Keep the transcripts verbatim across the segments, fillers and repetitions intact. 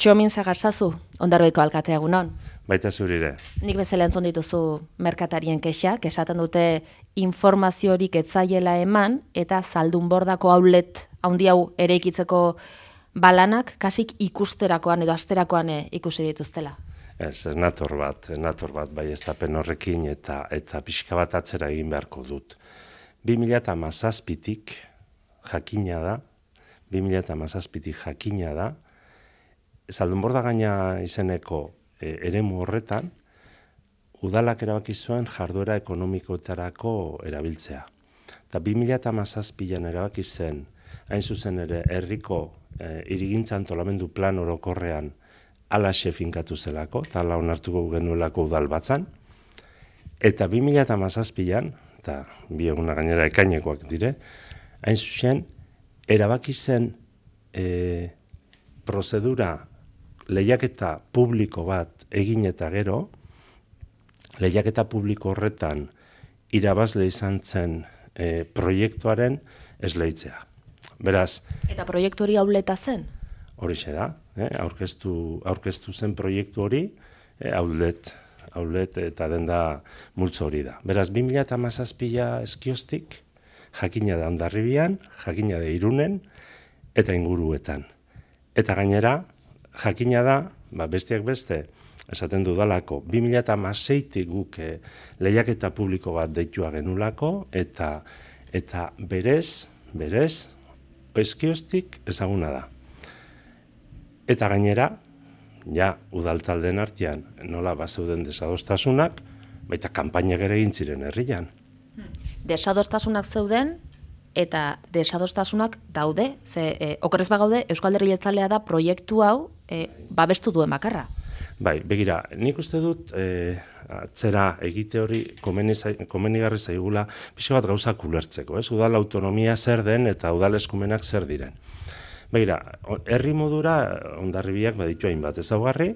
Txomin zagartzazu, Ondarroiko alkatea egunon. Baita zurire. Nik bezala entzun dituzu merkatarien kexak, esaten dute informaziorik etzaiela eman, eta Zaldunbordako outlet handi hau ere ikitzeko balanak, kasik ikusterakoan edo asterakoan ikusi dituztela. Ez, ez nator bat, ez nator bat, bai ez tapen horrekin eta eta pixka bat atzera egin beharko dut. bi mila hamazazpitik jakina da, bi mila hamazazpitik jakina da, Zaldunborda gaina izeneko e, eremu horretan, udalak erabaki zuen jarduera ekonomikoetarako erabiltzea. Eta bi mila hamazazpian erabaki zen, hain zuzen ere, herriko e, hirigintza antolamendu plan orokorrean alaxe finkatu zelako, eta ala onartuko genuelako udal batzan. Eta bi mila hamazazpian, eta bi eguna gainera ekainekoak dire, hain zuzen, erabaki zen e, prozedura lehiaketa publiko bat egin eta gero, lehiaketa publiko horretan irabazle izan zen e, proiektuaren esleitzea. Beraz... Eta proiektu hori auleta zen? Horixe da, eh? aurkeztu, aurkeztu zen proiektu hori, eh, aulet, aulet eta denda multzo hori da. Beraz, bi mila hamazazpia eskioztik, jakina da Hondarribian, jakina da Irunen, eta inguruetan. Eta gainera, jakina da, ba, besteak beste, esaten dudalako, bi mila hamaseitik guk eh, lehiaketa publiko bat deitua genulako, eta eta berez, berez, eskioztik ezaguna da. Eta gainera, ja, udaltaldeen artean, nola bazeuden desadostasunak, baita kanpainak ere egin ziren herrian. Desadostasunak zeuden, eta desadostasunak daude, ze e, okerrez bagaude, Eusko Alderdi Jeltzalea da proiektu hau e, babestu duen bakarra. Bai, begira, nik uste dut e, atzera egite hori komenigarri zaigula pixka bat gauzak ulertzeko, ez? Udal autonomia zer den eta udal eskumenak zer diren. Begira, herri modura Hondarribiak baditu hainbat ezaugarri,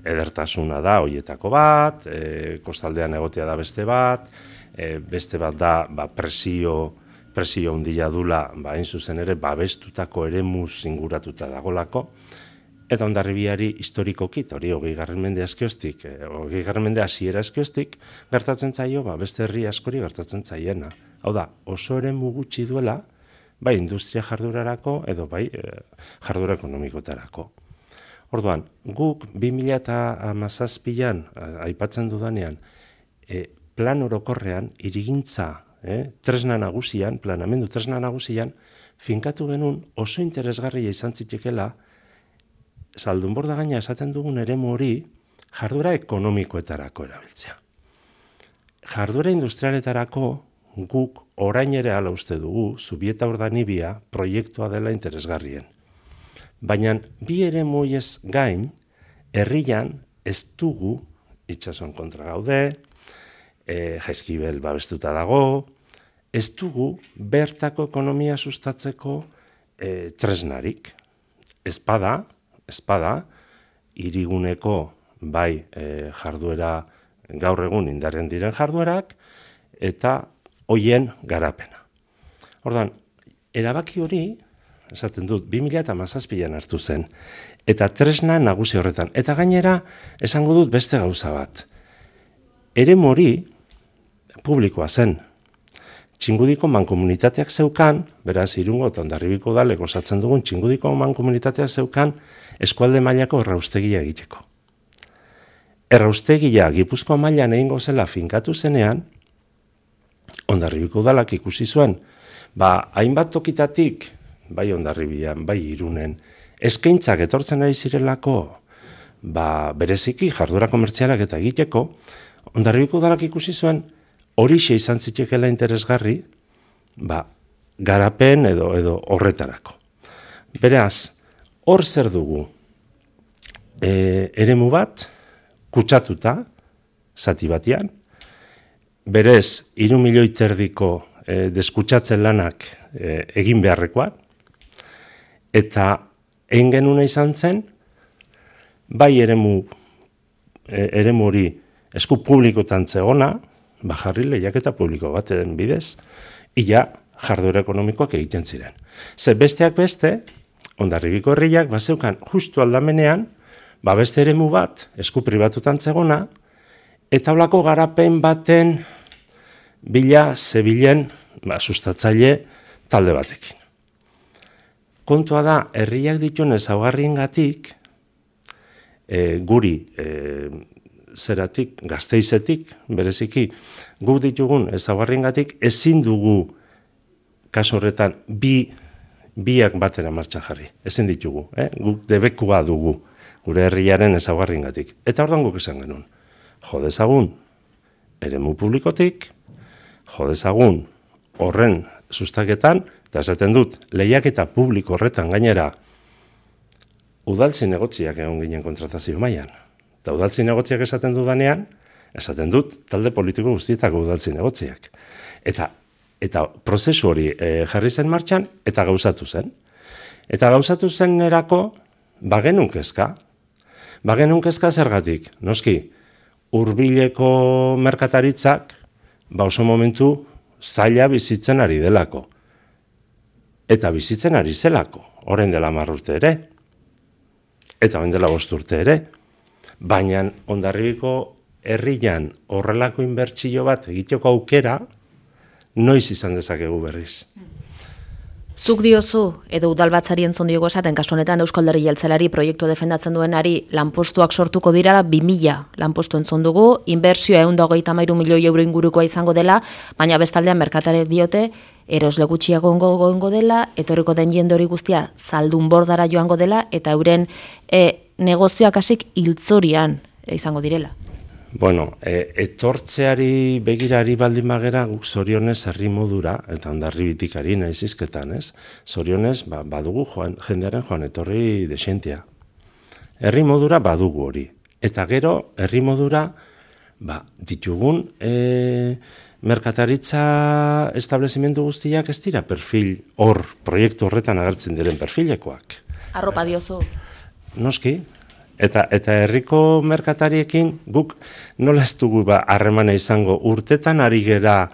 edertasuna da hoietako bat, e, kostaldean egotea da beste bat, e, beste bat da ba, presio presio handia dula, ba, hain zuzen ere, babestutako eremuz inguratuta dagolako, eta Hondarribiari historikoki, hori hogei garren mende azkioztik, hogei garren mende hasiera azkioztik, gertatzen zaio, ba, beste herri askori gertatzen zaiena. Hau da, oso eremu gutxi duela, bai industria jardurarako edo bai jardura ekonomikotarako. Orduan, guk bi mila hamazazpian, aipatzen dudanean, e, plan orokorrean, hirigintza, Eh, tresna nagusian, planamendu tresna nagusian, finkatu genuen oso interesgarria izan zitekela Zaldunborda gaina esaten dugun eremu hori jarduera ekonomikoetarako erabiltzea. Jarduera industrialetarako guk orain ere hala uste dugu Zubieta Urdanibia proiektua dela interesgarrien. Baina bi eremu horiez gain, herrian ez dugu itsasoan kontra gaude, E, Jaizkibel babestuta dago, ez dugu bertako ekonomia sustatzeko e, tresnarik. Espada, espada, hiriguneko bai e, jarduera gaur egun indarren diren jarduerak, eta hoien garapena. Orduan, erabaki hori, esaten dut, bi mila hamazazpian hartu zen, eta tresna nagusi horretan. Eta gainera, esango dut beste gauza bat. Eremu hori publikoa zen. Txingudiko mankomunitateak zeukan, beraz Irungo eta Hondarribiko udalek osatzen dugun Txingudiko mankomunitateak zeukan eskualde mailako erraustegia egiteko. Erraustegia Gipuzkoa mailan egingo zela finkatu zenean, Hondarribiko udalak ikusi zuen, ba, hainbat tokitatik, bai Hondarribian, bai Irunen, eskaintzak etortzen ari zirelako, ba, bereziki jardura komertzialak eta egiteko, Hondarribiko udalak ikusi zuen, horixe izan zitekeela interesgarri, ba, garapen edo edo horretarako. Beraz, hor zer dugu, e, eremu bat, kutsatuta, zati batean, berez, hiru milioi terdiko e, deskutsatzen lanak e, egin beharrekoak, eta egin genuna izan zen, bai eremu, e, eremu hori esku publikotan zegona, bajarri lehiaketa publiko baten bidez, ia jarduera ekonomikoak egiten ziren. Ze besteak beste, Hondarribiko herriak bazeukan justu aldamenean ba beste eremu bat, esku pribatutan zegona, eta holako garapen baten bila zebilen ba, sustatzaile talde batekin. Kontua da, herriak dituen ezaugarriengatik, e, guri e, zeratik, Gasteizetik, bereziki, guk ditugun ezaugarriengatik ezin dugu kasu horretan bi biak batera martxan jarri. Ezin ditugu, eh? Guk debekua dugu gure herriaren ezaugarriengatik. Eta orduan guk esan genuen. Jo dezagun eremu publikotik, jo dezagun horren sustaketan, eta esaten dut, lehiaketa publiko horretan gainera udal zinegotziak egon ginen kontratazio mailan. Eta udal zinegotziak esaten dudanean, esaten dut talde politiko guztietako udal zinegotziak. Eta, eta prozesu hori e, jarri zen martxan, eta gauzatu zen. Eta gauzatu zen erako, bagenun kezka. Bagenun kezka zergatik, noski, hurbileko merkataritzak, ba oso momentu zaila bizitzen ari delako. Eta bizitzen ari zelako, orain dela hamar urte ere, eta orain dela bost urte ere, baina Hondarribiko herrian horrelako inbertsio bat egiteko aukera, noiz izan dezakegu berriz. Zuk diozu, edo udalbatzari entzun diogo esaten, kasu honetan Eusko Alderdi Jeltzaleari proiektu defendatzen duenari lanpostuak sortuko dirala bi mila lanpostu entzun dugu, inbertsioa ehun eta hogeita hamairu milioi euro ingurukoa izango dela, baina bestaldean merkatarek diote, erosle gutxiago gongo dela, etorriko den jende hori guztia zaldunbordara joango dela, eta euren e, negozioak hasik hiltzorian izango direla. Bueno, e, etortzeari begirari baldin bagera guk zorionez herri modura, eta Hondarribitikari naiz hizketan, ez? Zorionez ba, badugu joan, jendearen joan etorri desentia. Herri modura badugu hori. Eta gero, herri modura ba, ditugun e, merkataritza establezimendu guztiak ez dira perfil hor, proiektu horretan agertzen diren perfilekoak. Arropa diozu. Noski. Eta eta herriko merkatariekin guk nola ez dugu ba harremana izango urtetan ari gera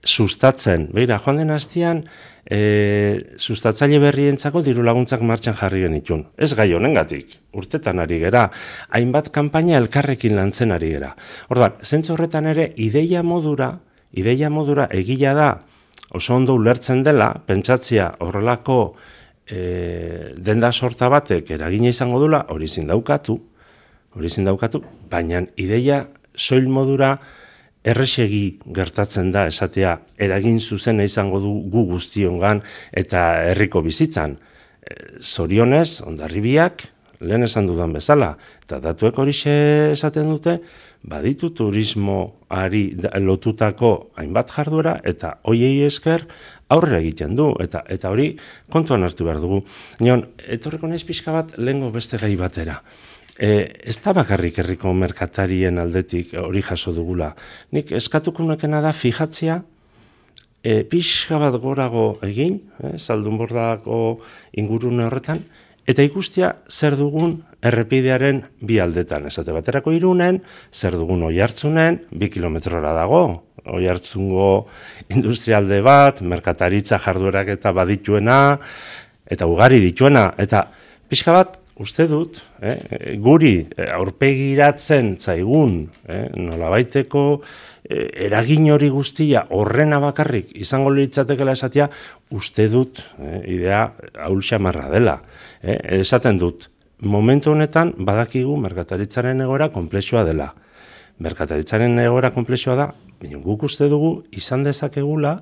sustatzen. Beira, joan den astean e, sustatzaile berrientzako diru laguntzak martxan jarri genitun. Ez gai honengatik, urtetan ari gera, hainbat kanpaina elkarrekin lantzen ari gera. Orduan, zentzu horretan ere ideia modura, ideia modura egila da oso ondo ulertzen dela, pentsatzia horrelako E, denda sorta batek eragina izango dula, hori zindaukatu, hori zindaukatu, baina ideia soil modura erresegi gertatzen da, esatea eragin zuzena izango du gu guztiongan eta herriko bizitzan. E, zorionez, Hondarribiak, lehen esan dudan bezala, eta datuek horixe esaten dute, baditu turismoari lotutako hainbat jarduera, eta hoiei esker aurrera egiten du, eta eta hori kontuan hartu behar dugu. Nion, etorreko naiz pixka bat lehengo beste gai batera. E, ez da bakarrik herriko merkatarien aldetik hori jaso dugula. Nik eskatuko nekena da fijatzea, e, pixka bat gorago egin, eh, Zaldunbordako ingurune horretan, eta ikustia zer dugun errepidearen bi aldetan. Esate baterako Irunen, zer dugun Oiartzunen, bi kilometrora dago, Oiartzungo industrialde bat, merkataritza jarduerak eta badituena, eta ugari dituena, eta pixka bat, uste dut, eh, guri aurpegiratzen zaigun, eh, nolabaiteko eh, eragin hori guztia horrena bakarrik izango litzatekela esatea, uste dut, eh, idea ahulxamarra dela. Eh, esaten dut, momentu honetan badakigu merkataritzaren egoera konplexua dela. Merkataritzaren egoera konplexua da, guk uste dugu izan dezakegula,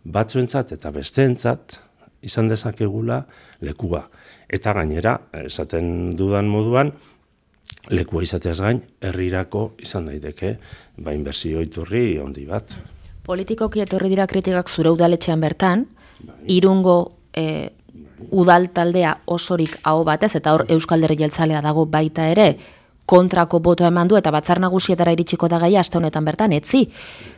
batzuentzat eta besteentzat, izan dezakegula lekua. Eta gainera, esaten dudan moduan, lekua izateaz gain, herrirako izan daiteke, ba inbertsio iturri handi bat. Politikoki etorri dira kritikak zure udaletxean bertan, Irungo e, udal taldea osorik aho batez, eta hor Eusko Alderdi Jeltzalea dago baita ere, kontrako botoa eman du eta batzar nagusietara iritsiko da gaia aste honetan bertan, etzi.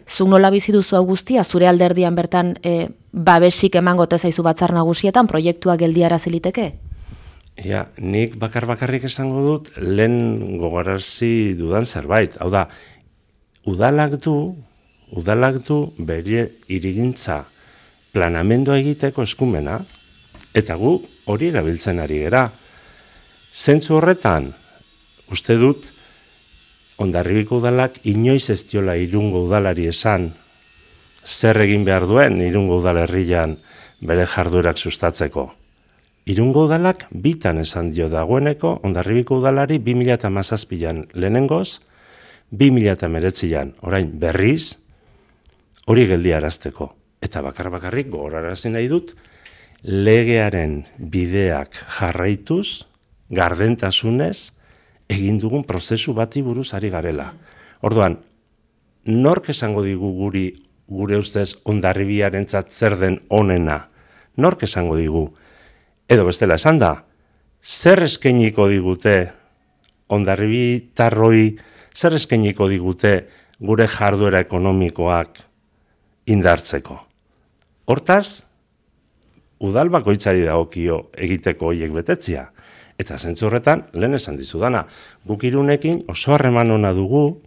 Zuk nola bizi duzu hau guztia, zure alderdian bertan e, babesik emango ote zaizu batzar nagusietan, proiektua geldiarazi liteke? Ja, nik bakar bakarrik esango dut lehen gogarazi dudan zerbait. Hau da, udalak du, udalak du bere hirigintza planamendua egiteko eskumena, eta gu hori erabiltzen ari gera. Zentzu horretan, uste dut, Hondarribiko udalak inoiz ez diola Irungo udalari esan zer egin behar duen Irungo udalerrian bere jarduerak sustatzeko. Irungo udalak bitan esan dio dagoeneko Hondarribiko udalari bi mila hamazazpian lehenengoz, bi mila hemeretzian orain berriz, hori geldiarazteko. Eta bakar-bakarrik gogorarazi nahi dut, legearen bideak jarraituz, gardentasunez, egin dugun prozesu bati buruz ari garela. Orduan, nork esango digu guri, gure ustez, Hondarribiarentzat zer den onena? Nork esango digu? Edo bestela esan da, zer eskainiko digute hondarribitarroi, zer eskainiko digute gure jarduera ekonomikoak indartzeko? Hortaz, udal bakoitzari dagokio egiteko hoiek betetzia. Eta zentzu horretan, lehen esan dizudana, guk Irunekin oso harreman ona dugu,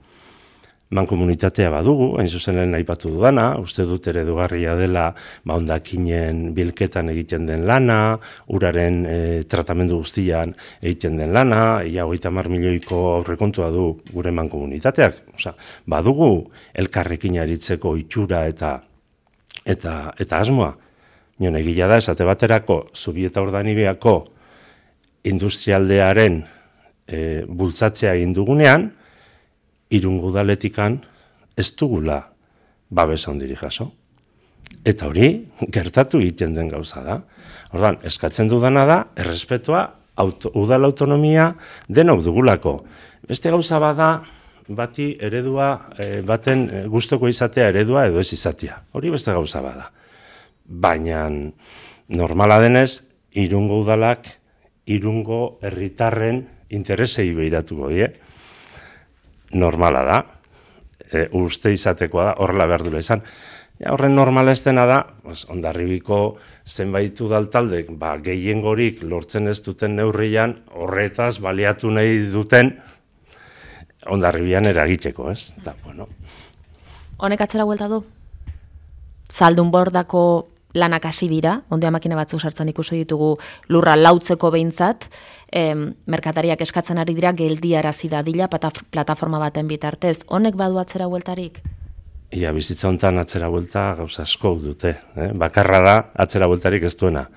mankomunitatea badugu, hain zuzen lehen aipatu dudana, uste dut eredugarria dela ba, hondakinen bilketan egiten den lana, uraren e, tratamendu guztian egiten den lana, ia hogeita hamar milioiko aurrekontua du gure mankomunitateak. Osea, badugu elkarrekin aritzeko itxura eta eta eta asmoa. Nion egia da esate baterako Zubieta Urdanibeako industrialdearen e, bultzatzea egin dugunean, Irungo udaletikan ez dugula babesa handiri jaso. Eta hori gertatu egiten den gauza da. Orduan, eskatzen dudana da, errespetua, auto, udal autonomia denok dugulako. Beste gauza bada, bati eredua, e, baten gustoko izatea eredua edo ez izatea. Hori beste gauza bada. Baina normala denez, Irungo udalak, Irungo herritarren interesei behiratuko die. Normala da, e, uste izatekoa da, horrela behar dula izan. Ja, horren normala ez dena da, pues, Hondarribiko zenbait udaltaldek, ba, gehiengorik lortzen ez duten neurrian, horretaz baliatu nahi duten Hondarribian eragiteko, ez? Da, bueno. Honek atzera buelta du? Zaldunbordako lanak hasi dira, ondea makina batzuk sartzen ikusi ditugu lurra lautzeko behintzat, em, merkatariak eskatzen ari dira geldiarazi dadila plataforma baten bitartez. Honek badu atzera bueltarik? Ia, bizitza honetan atzera buelta gauza asko dute. Eh? Bakarra da atzera bueltarik ez duena.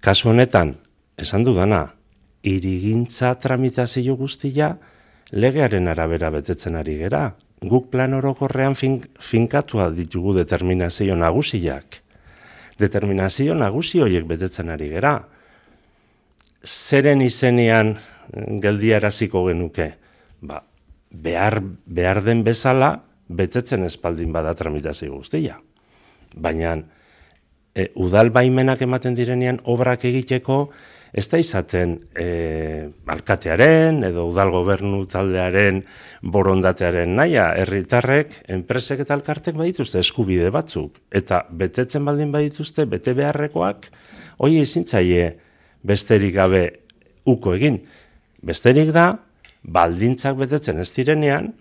Kasu honetan, esan dudana, hirigintza tramitazio guztia legearen arabera betetzen ari gera. Guk plan orokorrean fin, finkatua ditugu determinazio nagusiak. Determinazio nagusi horiek betetzen ari gera. Zeren izenean geldiaraziko genuke? Ba, behar, behar den bezala betetzen espaldin bada tramitazio guztia. Baina e, udal baimenak ematen direnean obrak egiteko ez da izaten e, alkatearen edo udal gobernu taldearen borondatearen naia, herritarrek, enpresek eta alkartek badituzte eskubide batzuk. Eta betetzen baldin badituzte, bete beharrekoak, hori ezintzaile besterik gabe uko egin. Besterik da, baldintzak betetzen ez direnean,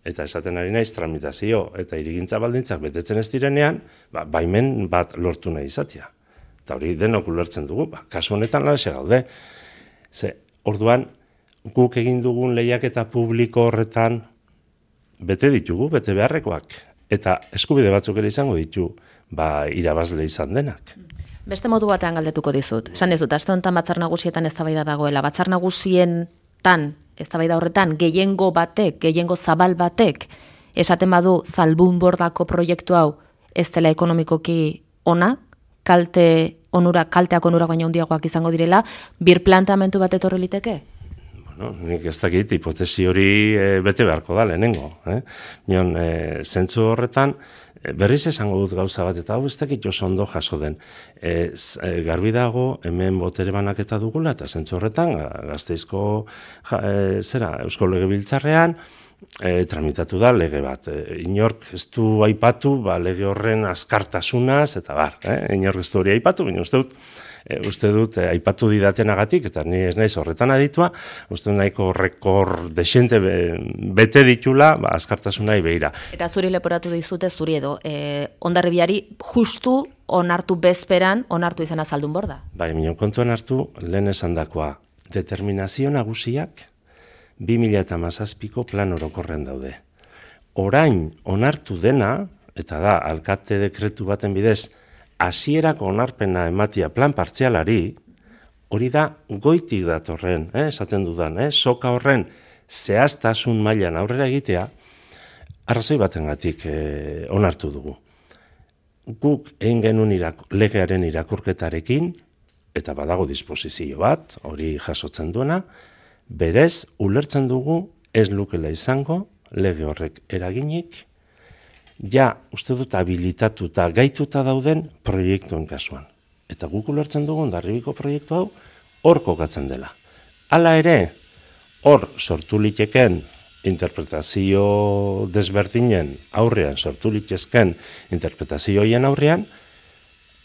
eta esaten ari naiz tramitazio eta hirigintza baldintzak betetzen ez direnean, ba, baimen bat lortu nahi izatea. Eta hori denok ulertzen dugu, ba, kasu honetan lanaxe gaude. Ze, orduan, guk egin dugun lehiaketa publiko horretan bete ditugu, bete beharrekoak. Eta eskubide batzuk ere izango ditu, ba, irabazle izan denak. Beste modu batean galdetuko dizut. Esan dizut, aste honetan batzar nagusietan eztabaida dagoela. Batzar nagusietan, eztabaida horretan, gehiengo batek, gehiengo zabal batek, esaten badu Zaldunbordako proiektu hau ez dela ekonomikoki ona, kalte onura, kalteak onurak baina handiagoak izango direla, bir planteamendu bat etorri liteke? Bueno, nik ez dakit, hipotesi hori e, bete beharko da lehenengo. Eh? Nion, e, zentzu horretan, e, berriz esango dut gauza bat, eta hau ez dakit oso ondo jaso den. E, z, e, garbi dago, hemen botere banaketa dugula, eta zentzu horretan, Gasteizko ja, e, zera, Eusko Legebiltzarrean, E, tramitatu da lege bat. E, inork ez du aipatu, ba, lege horren azkartasunaz, eta bar, eh? Inork ez du hori aipatu, baina uste dut, e, uste dut e, aipatu didatenagatik, eta ni ez naiz horretan aditua, uste dut nahiko rekor desente be, bete ditula, ba, azkartasunai behira. Eta zuri leporatu dizute, zuri edo, e, Hondarribiari justu onartu bezperan, onartu izena Zaldunborda? Bai, minon kontuan hartu, lehen esandakoa, determinazio nagusiak bi mila hamazazpiko plan orokorrean daude. Orain onartu dena, eta da, alkate dekretu baten bidez, hasierako onarpena ematia plan partzialari, hori da goitik datorren, eh, esaten dudan, eh, soka horren zehaztasun mailan aurrera egitea, arrazoi batengatik eh, onartu dugu. Guk egin genuen irak, legearen irakurketarekin, eta badago disposizio bat, hori jasotzen duena, berez, ulertzen dugu ez lukela izango, lege horrek eraginik, ja, uste dut habilitatuta, gaituta dauden proiektuen kasuan. Eta guk ulertzen dugu Hondarribiko proiektu hau hor kokatzen dela. Hala ere, hor sortu liteken interpretazio desberdinen aurrean, sortu litezken interpretazioien aurrean,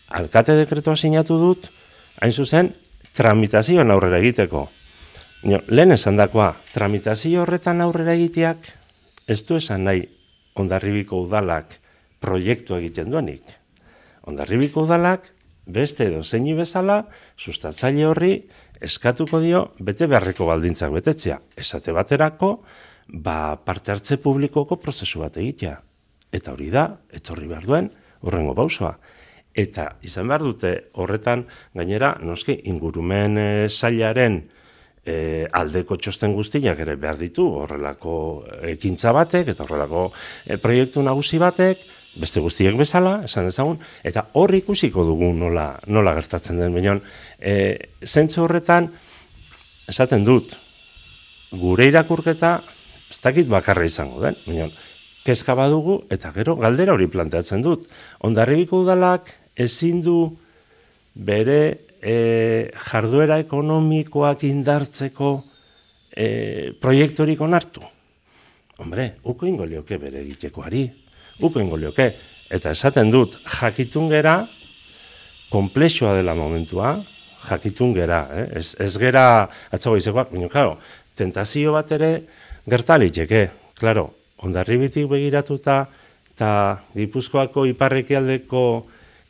alkate dekretua sinatu dut, hain zuzen, tramitazioan aurrera egiteko. No, lehen esan dakoa, tramitazio horretan aurrera egiteak, ez du esan nahi Hondarribiko udalak proiektu egiten duenik. Hondarribiko udalak, beste edo zeini bezala, sustatzaile horri eskatuko dio bete beharreko baldintzak betetzea. Esate baterako, ba, parte hartze publikoko prozesu bat egitea. Eta hori da, etorri behar duen, horrengo pausoa. Eta izan behar dute horretan, gainera, noski, ingurumen e, sailaren e, aldeko txosten guztiak ere behar ditu, horrelako ekintza batek, eta horrelako e, proiektu nagusi batek, beste guztiek bezala, esan ezagun, eta hor ikusiko dugu nola, nola gertatzen den. Baina, e, zentzu horretan, esaten dut, gure irakurketa, ez dakit bakarra izango den, baina, kezka badugu, eta gero galdera hori planteatzen dut. Hondarribiko udalak ezin du bere e, jarduera ekonomikoak indartzeko e, proiektorik onartu. Hombre, uko ingo lioke bere egitekoari. Uko ingo lioke. Eta esaten dut, jakitun gera, konplexua dela momentua, jakitun gera. Eh? Ez, ez gera, atzago izekoak, baina, claro, tentazio bat ere gertaliteke. Claro, Hondarribitik begiratuta, eta Gipuzkoako iparrekialdeko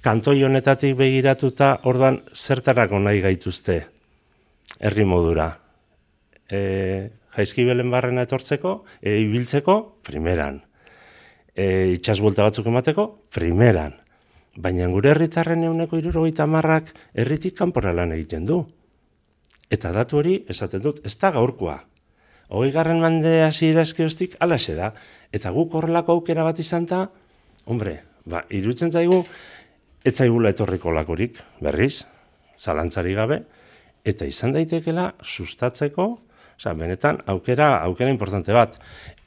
kantoi honetatik begiratuta, ordan zertarako nahi gaituzte herri modura. E, Jaizkibelen barrena etortzeko, e, ibiltzeko, primeran. E, itxasbuelta batzuk emateko, primeran. Baina gure herritarren ehuneko hirurogeita hamarrak herritik kanpora lan egiten du. Eta datu hori, esaten dut, ez da gaurkoa. Hogei garren mende hasiera eskeoztik alaxe da. Eta guk horrelako aukera bat izan da, hombre, ba, iruditzen zaigu, ez zaigula etorriko lakorik, berriz, zalantzari gabe, eta izan daitekela sustatzeko, Osa, benetan, aukera, aukera importante bat.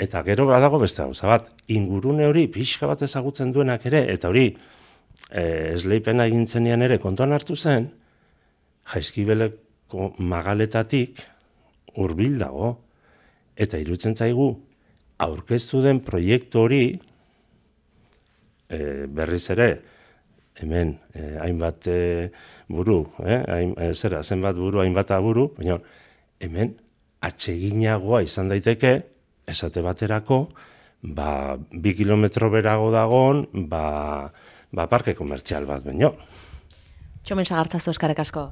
Eta gero badago beste gauza bat. Ingurune hori pixka bat ezagutzen duenak ere, eta hori e, esleipena egintzenean ere kontuan hartu zen, Jaizkibeleko magaletatik hurbil dago. Eta iruditzen zaigu, aurkeztu den proiektu hori, e, berriz ere, hemen, e, hainbat e, buru, eh? Hain, e, zera, zenbat buru, hainbat buru, baina hemen, atseginagoa izan daiteke, esate baterako, ba, bi kilometro berago dagoen, ba, ba, parke komertzial bat, baino. Txomen Sagartzazu, eskerrik asko.